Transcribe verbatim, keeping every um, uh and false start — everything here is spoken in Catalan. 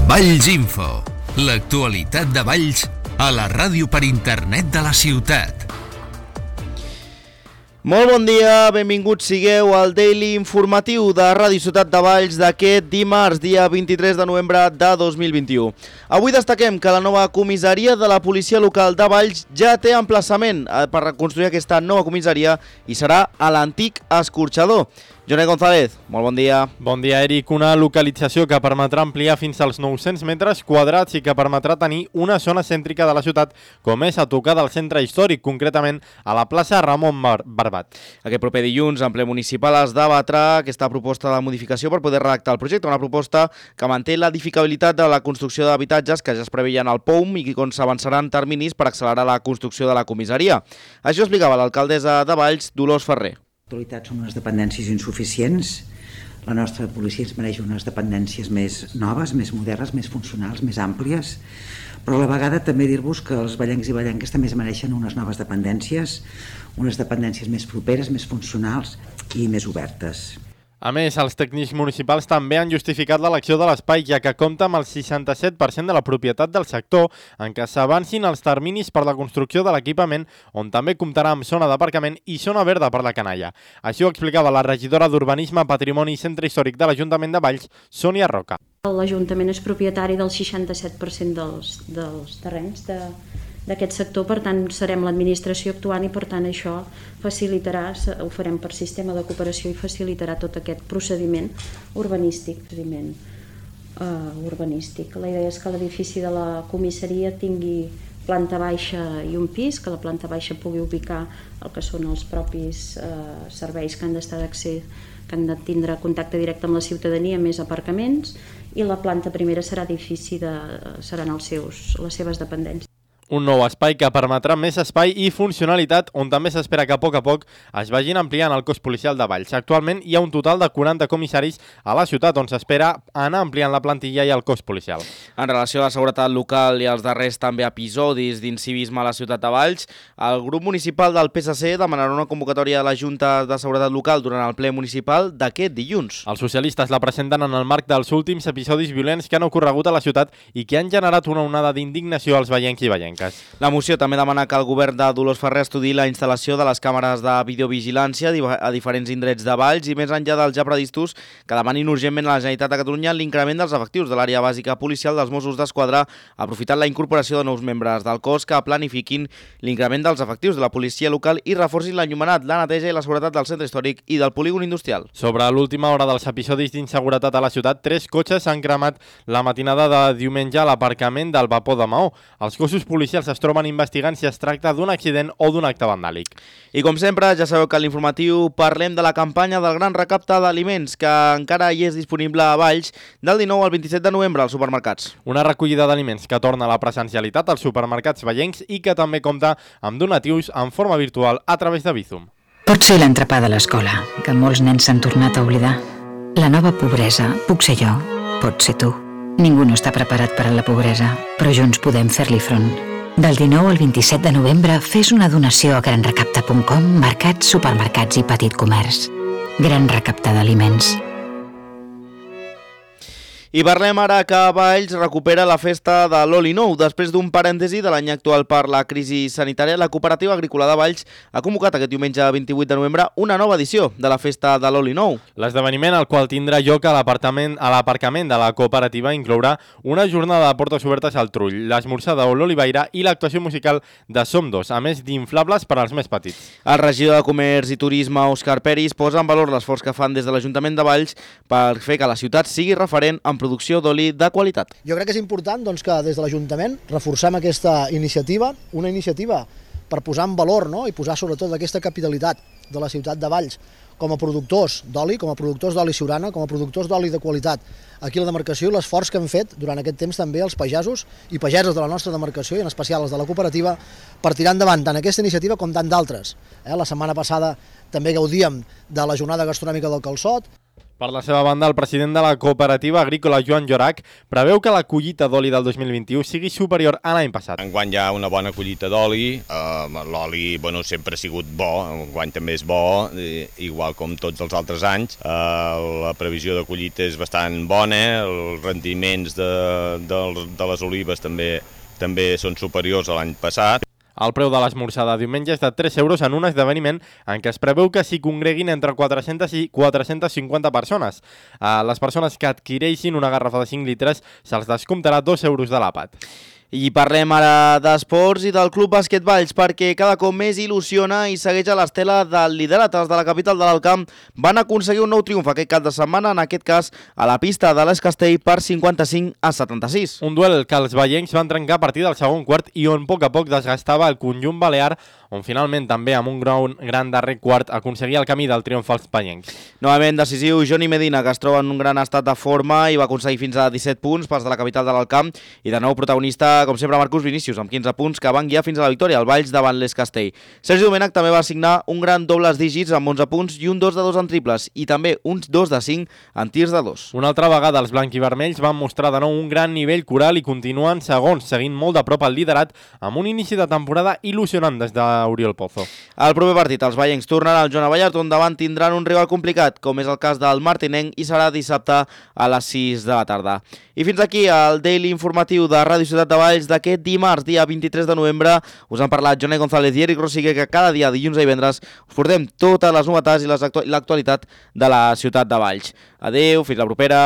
Valls Info, l'actualitat de Valls a la ràdio per internet de la ciutat. Molt bon dia, benvinguts sigueu al Daily Informatiu de Ràdio Ciutat de Valls d'aquest dimarts, dia vint-i-tres de novembre de dos mil vint-i-u. Avui destaquem que la nova comissaria de la policia local de Valls ja té emplaçament per reconstruir aquesta nova comissaria i serà a l'antic escorxador. Joné González, molt bon dia. Bon dia, Eric. Una localització que permetrà ampliar fins als nou-cents metres quadrats i que permetrà tenir una zona cèntrica de la ciutat, com és a tocar del centre històric, concretament a la plaça Ramon Bar Barbat. Aquest proper dilluns, en ple municipal, es debatrà aquesta proposta de modificació per poder redactar el projecte, una proposta que manté l'edificabilitat de la construcció d'habitatges que ja es preveien al P O M i on s'avançaran terminis per accelerar la construcció de la comissaria. Això explicava l'alcaldessa de Valls, Dolors Ferrer. En l'actualitat són unes dependències insuficients. La nostra policia ens mereix unes dependències més noves, més modernes, més funcionals, més àmplies, però a la vegada també dir-vos que els vallencs i vallenques també es mereixen unes noves dependències, unes dependències més properes, més funcionals i més obertes. A més, els tècnics municipals també han justificat l'elecció de l'espai, ja que compta amb el seixanta-set per cent de la propietat del sector, en què s'avancin els terminis per la construcció de l'equipament, on també comptarà amb zona d'aparcament i zona verda per la canalla. Així ho explicava la regidora d'Urbanisme, Patrimoni i Centre Històric de l'Ajuntament de Valls, Sònia Roca. L'Ajuntament és propietari del seixanta-set per cent dels, dels terrenys de... d'aquest sector, per tant serem l'administració actuant i per tant això facilitarà, ho farem per sistema de cooperació i facilitarà tot aquest procediment urbanístic. Procediment, uh, urbanístic. La idea és que l'edifici de la comissaria tingui planta baixa i un pis, que la planta baixa pugui ubicar el que són els propis uh, serveis que han d'estar d'accés, que han de tindre contacte directe amb la ciutadania, més aparcaments, i la planta primera serà edifici de, seran els seus, les seves dependències. Un nou espai que permetrà més espai i funcionalitat, on també s'espera que a poc a poc es vagin ampliant el cos policial de Valls. Actualment hi ha un total de quaranta comissaris a la ciutat, on s'espera anar ampliant la plantilla i el cos policial. En relació a la seguretat local i als darrers també episodis d'incivisme a la ciutat de Valls, el grup municipal del P S C demanarà una convocatòria de la Junta de Seguretat Local durant el ple municipal d'aquest dilluns. Els socialistes la presenten en el marc dels últims episodis violents que han ocorregut a la ciutat i que han generat una onada d'indignació als vallencs i vallenques. La moció també demana que el govern de Dolors Ferrer estudiï la instal·lació de les càmeres de videovigilància a diferents indrets de Valls i més enllà dels ja previstos que demanin urgentment a la Generalitat de Catalunya l'increment dels efectius de l'àrea bàsica policial dels Mossos d'Esquadra, aprofitant la incorporació de nous membres del cos que planifiquin l'increment dels efectius de la policia local i reforcin l'enllumenat, la neteja i la seguretat del centre històric i del polígon industrial. Sobre l'última hora dels episodis d'inseguretat a la ciutat, tres cotxes s'han cremat la matinada de diumenge a l'aparcament del Vapor de Maó. Els cossos policials es troben investigant si es tracta d'un accident o d'un acte vandàlic. I com sempre, ja sabeu que a l'informatiu parlem de la campanya del gran recapte d'aliments que encara hi és disponible a Valls del dinou al vint-i-set de novembre als supermercats. Una recollida d'aliments que torna a la presencialitat als supermercats vallencs i que també compta amb donatius en forma virtual a través de Bizum. Pot ser l'entrepà de l'escola, que molts nens s'han tornat a oblidar. La nova pobresa puc ser jo, pot ser tu. Ningú no està preparat per a la pobresa, però junts podem fer-li front. Del dinou al vint-i-set de novembre fes una donació a gran recapte punt com, mercats, supermercats i petit comerç. Gran recapte d'aliments. I parlem ara que Valls recupera la festa de l'Oli Nou. Després d'un parèntesi de l'any actual per la crisi sanitària, la Cooperativa Agrícola de Valls ha convocat aquest diumenge vint-i-vuit de novembre una nova edició de la festa de l'Oli Nou. L'esdeveniment, el qual tindrà lloc a l'aparcament a l'aparcament de la cooperativa, inclourà una jornada de portes obertes al Trull, l'esmorzar de l'Oliveira i l'actuació musical de Som Dos, a més d'inflables per als més petits. El regidor de Comerç i Turisme, Òscar Peris, posa en valor l'esforç que fan des de l'Ajuntament de Valls per fer que la ciutat sigui referent en producció d'oli de qualitat. Jo crec que és important doncs, que des de l'Ajuntament reforcem aquesta iniciativa, una iniciativa per posar en valor, no? I posar sobretot aquesta capitalitat de la ciutat de Valls com a productors d'oli, com a productors d'oli Siurana, com a productors d'oli de qualitat aquí a la demarcació, i l'esforç que han fet durant aquest temps també els pagesos i pageses de la nostra demarcació, i en especial els de la cooperativa, per tirar endavant tant aquesta iniciativa com tant d'altres. Eh? La setmana passada també gaudíem de la jornada gastronòmica del Calçot. Per la seva banda, el president de la cooperativa agrícola, Joan Llorac, preveu que la collita d'oli del dos mil vint-i-u sigui superior a l'any passat. Enguany hi ha una bona collita d'oli, eh, l'oli bueno, sempre ha sigut bo, enguany també és bo, eh, igual com tots els altres anys. Eh, la previsió de collita és bastant bona, els rendiments de, de, de les olives també, també són superiors a l'any passat. El preu de l'esmorzar de diumenge és de tres euros en un esdeveniment en què es preveu que s'hi congreguin entre quatre-centes i quatre-centes cinquanta persones. A les persones que adquireixin una garrafa de cinc litres se'ls descomptarà dos euros de l'àpat. I parlem ara d'esports i del Club Bàsquet Valls, perquè cada cop més il·lusiona i segueix a l'estela del liderat. Els de la capital de l'Alt Camp van aconseguir un nou triomf aquest cap de setmana, en aquest cas a la pista de l'Es Castell per cinquanta-cinc a setanta-sis. Un duel que els veiencs van trencar a partir del segon quart i on a poc a poc desgastava el conjunt balear, on finalment també amb un gran, gran darrer quart aconseguia el camí del triomf als veiencs. Novament decisiu Johnny Medina, que es troba en un gran estat de forma i va aconseguir fins a disset punts pels de la capital de l'Alt Camp, i de nou protagonista, com sempre, Marcus Vinícius, amb quinze punts, que van guiar fins a la victòria al Valls davant l'Es Castell. Sergi Domènech també va signar un gran dobles dígits amb onze punts i un dos de dos en triples, i també uns dos de cinc en tirs de dos. Una altra vegada els blanquivermells van mostrar de nou un gran nivell coral i continuen segons, seguint molt de prop el liderat, amb un inici de temporada il·lusionant des d'Oriol Pozo. El proper partit, els veiencs tornaran al Joan Abellat, on davant tindran un rival complicat, com és el cas del Martinenc, i serà dissabte a les sis de la tarda. I fins aquí el Daily informatiu de Ràdio Ciutat de Valls d'aquest dimarts, dia vint-i-tres de novembre. Us han parlat Jonai González i Eric Rosigue, que cada dia, dilluns i divendres, us portem totes les novetats i l'actualitat de la Ciutat de Valls. Adeu, fins la propera.